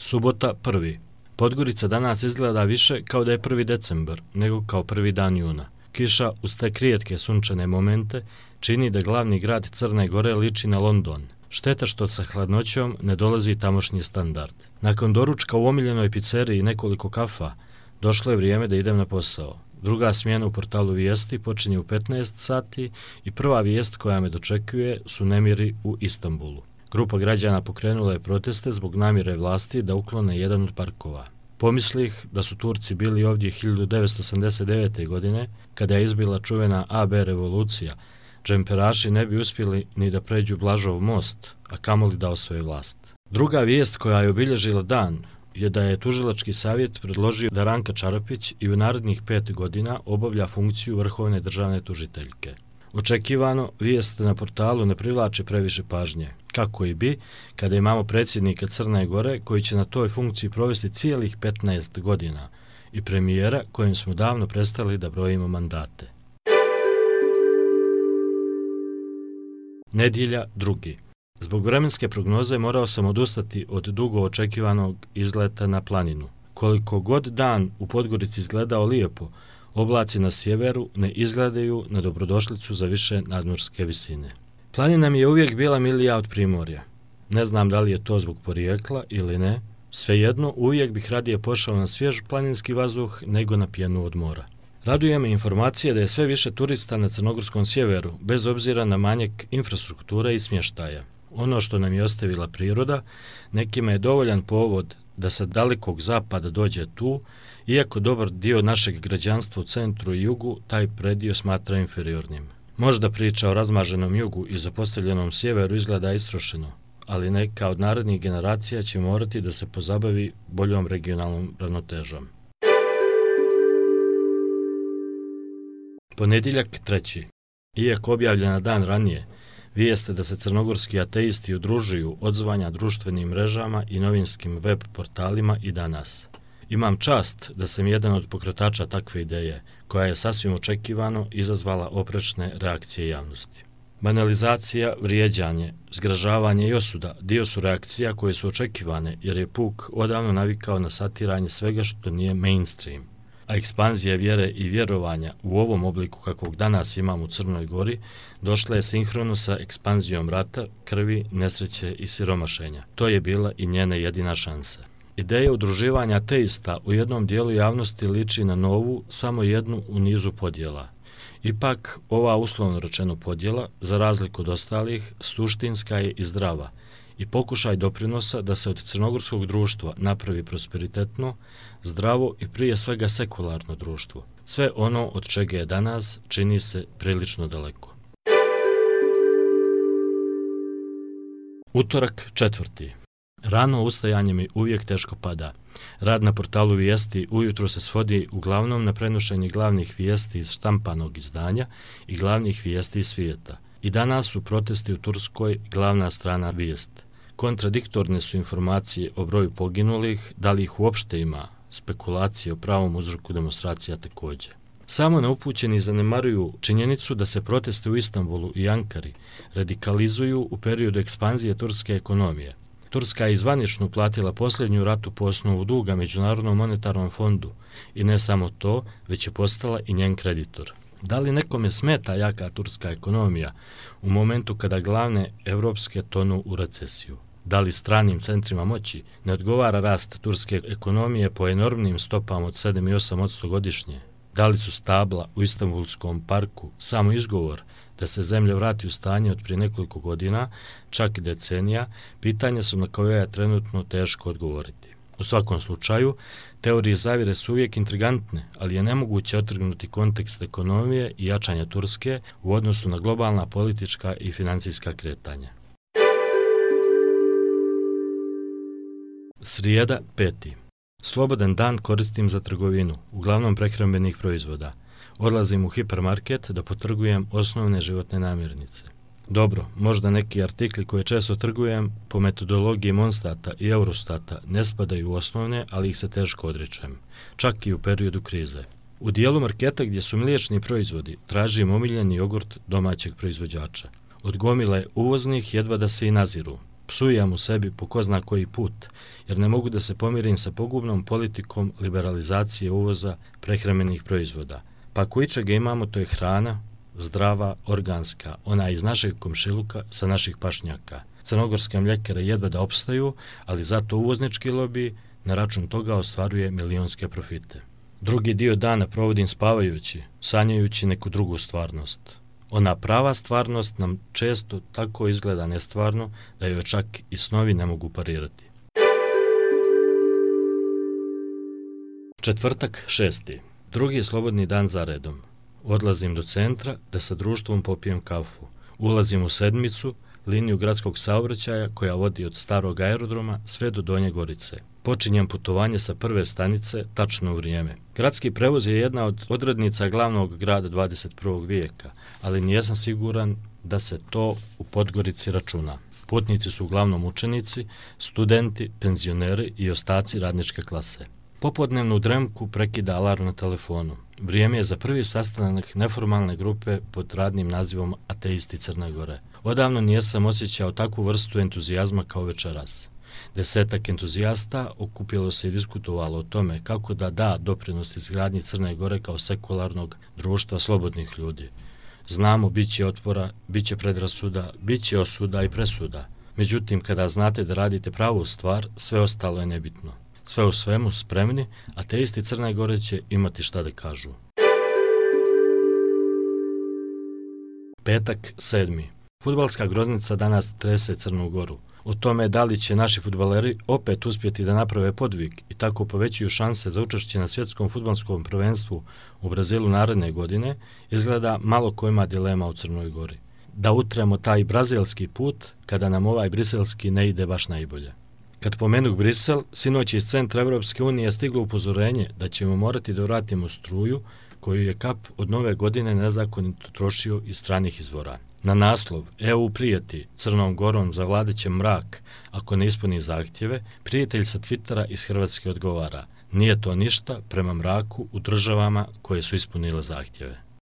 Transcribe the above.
Subota 1. Podgorica danas izgleda više kao da je 1. decembar nego kao 1. dan juna. Kiša uz te rijetke sunčane momente čini da glavni grad Crne Gore liči na London. Šteta što sa hladnoćom ne dolazi tamošnji standard. Nakon doručka u omiljenoj pizzeriji i nekoliko kafa, došlo je vrijeme da idem na posao. Druga smjena u portalu Vijesti počinje u 15 sati i prva vijest koja me dočekuje su nemiri u Istanbulu. Grupa građana pokrenula je proteste zbog namjere vlasti da uklone jedan od parkova. Pomislih da su Turci bili ovdje 1989. godine, kada je izbila čuvena AB revolucija, džemperaši ne bi uspjeli ni da pređu Blažov most, a kamoli da osvoje vlast. Druga vijest koja je obilježila dan je da je Tužilački savjet predložio da Ranka Čarapić i u narednih 5 godina obavlja funkciju vrhovne državne tužiteljke. Očekivano, vijest na portalu ne privlači previše pažnje, kako i bi, kada imamo predsjednika Crne Gore koji će na toj funkciji provesti cijelih 15 godina i premijera kojim smo davno prestali da brojimo mandate. Nedjelja 2. Zbog vremenske prognoze morao sam odustati od dugo očekivanog izleta na planinu. Koliko god dan u Podgorici izgledao lijepo, oblaci na sjeveru ne izgledaju na dobrodošlicu za više nadmorske visine. Planina mi je uvijek bila milija od Primorja. Ne znam da li je to zbog porijekla ili ne, svejedno uvijek bih radije pošao na svjež planinski vazduh nego na pjenu od mora. Raduje me informacija da je sve više turista na crnogorskom sjeveru, bez obzira na manjak infrastrukture i smještaja. Ono što nam je ostavila priroda, nekima je dovoljan povod da sa dalekog zapada dođe tu, iako dobar dio našeg građanstva u centru i jugu taj predio smatra inferiornim. Možda priča o razmaženom jugu i zapostavljenom sjeveru izgleda istrošeno, ali neka od narednih generacija će morati da se pozabavi boljom regionalnom ravnotežom. Ponedjeljak 3. Iako objavljena dan ranije, vijeste da se crnogorski ateisti udružuju odzvanja društvenim mrežama i novinskim web portalima i danas. Imam čast da sam jedan od pokretača takve ideje, koja je sasvim očekivano izazvala oprečne reakcije javnosti. Banalizacija, vrijeđanje, zgražavanje i osuda dio su reakcija koje su očekivane jer je puk odavno navikao na satiranje svega što nije mainstream. A ekspanzija vjere i vjerovanja u ovom obliku kakvog danas imamo u Crnoj Gori došla je sinhrono sa ekspanzijom rata, krvi, nesreće i siromašenja. To je bila i njena jedina šansa. Ideja udruživanja ateista u jednom dijelu javnosti liči na novu, samo jednu u nizu podjela. Ipak, ova uslovno rečeno podjela, za razliku od ostalih, suštinska je i zdrava i pokušaj doprinosa da se od crnogorskog društva napravi prosperitetno, zdravo i prije svega sekularno društvo. Sve ono od čega je danas čini se prilično daleko. Utorak 4. Rano ustajanje mi uvijek teško pada. Rad na portalu Vijesti ujutro se svodi uglavnom na prenošenje glavnih vijesti iz štampanog izdanja i glavnih vijesti iz svijeta. I danas su protesti u Turskoj glavna strana vijest. Kontradiktorne su informacije o broju poginulih, da li ih uopšte ima, spekulacije o pravom uzroku demonstracija također. Samo neupućeni zanemaruju činjenicu da se proteste u Istanbulu i Ankari radikalizuju u periodu ekspanzije turske ekonomije. Turska je zvanično platila posljednju ratu po osnovu duga Međunarodnom monetarnom fondu i ne samo to, već je postala i njen kreditor. Da li nekome smeta jaka turska ekonomija u momentu kada glavne evropske tonu u recesiju? Da li stranim centrima moći ne odgovara rast turske ekonomije po enormnim stopama od 7 i 8% godišnje? Da li su stabla u Istanbulskom parku samo izgovor da se zemlja vrati u stanje od prije nekoliko godina, čak decenija, pitanja su na koje je trenutno teško odgovoriti. U svakom slučaju, teorije zavjere su uvijek intrigantne, ali je nemoguće otrgnuti kontekst ekonomije i jačanja Turske u odnosu na globalna politička i financijska kretanja. Srijeda 5. Slobodan dan koristim za trgovinu, uglavnom prehrambenih proizvoda. Odlazim u hipermarket da potrgujem osnovne životne namirnice. Dobro, možda neki artikli koje često trgujem po metodologiji Monstata i Eurostata ne spadaju u osnovne, ali ih se teško odričem, čak i u periodu krize. U dijelu marketa gdje su mliječni proizvodi tražim omiljeni jogurt domaćeg proizvođača. Od gomile uvoznih jedva da se i naziru. Psujem u sebi po ko zna koji put, jer ne mogu da se pomirim sa pogubnom politikom liberalizacije uvoza prehrambenih proizvoda. Pa ako ičega imamo, to je hrana, zdrava, organska, ona iz našeg komšiluka sa naših pašnjaka. Crnogorske mljekare jedva da opstaju, ali zato uvoznički lobij na račun toga ostvaruje milionske profite. Drugi dio dana provodim spavajući, sanjajući neku drugu stvarnost. Ona prava stvarnost nam često tako izgleda nestvarno da joj čak i snovi ne mogu parirati. Četvrtak 6. Drugi slobodni dan za redom. Odlazim do centra da sa društvom popijem kafu. Ulazim u sedmicu, liniju gradskog saobraćaja koja vodi od starog aerodroma sve do Donje Gorice. Počinjem putovanje sa prve stanice tačno u vrijeme. Gradski prevoz je jedna od odrednica glavnog grada 21. vijeka, ali nijesam siguran da se to u Podgorici računa. Putnici su uglavnom učenici, studenti, penzioneri i ostaci radničke klase. Popodnevnu dremku prekida alarm na telefonu. Vrijeme je za prvi sastanak neformalne grupe pod radnim nazivom Ateisti Crne Gore. Odavno nijesam osjećao takvu vrstu entuzijazma kao večeras. 10 entuzijasta okupilo se i diskutovalo o tome kako da da doprinos izgradnji Crne Gore kao sekularnog društva slobodnih ljudi. Znamo, bit će otpora, bit će predrasuda, bit će osuda i presuda. Međutim, kada znate da radite pravu stvar, sve ostalo je nebitno. Sve u svemu spremni, ateisti Crne Gore će imati šta da kažu. Petak 7. Fudbalska groznica danas trese Crnu Goru. O tome da li će naši fudbaleri opet uspjeti da naprave podvig i tako povećuju šanse za učešće na svjetskom fudbalskom prvenstvu u Brazilu naredne godine, izgleda malo ko ima dilema u Crnoj Gori. Da utremo taj brazilski put kada nam ovaj briselski ne ide baš najbolje. Kad pomenuh Brisel, sinoć iz centra Evropske unije stiglo upozorenje da ćemo morati da vratimo struju koju je KAP od nove godine nezakonito trošio iz stranih izvora. Na naslov EU prijeti Crnom Gorom zavladat će mrak ako ne ispuni zahtjeve, prijatelj sa Twittera iz Hrvatske odgovara: nije to ništa prema mraku u državama koje su ispunile zahtjeve.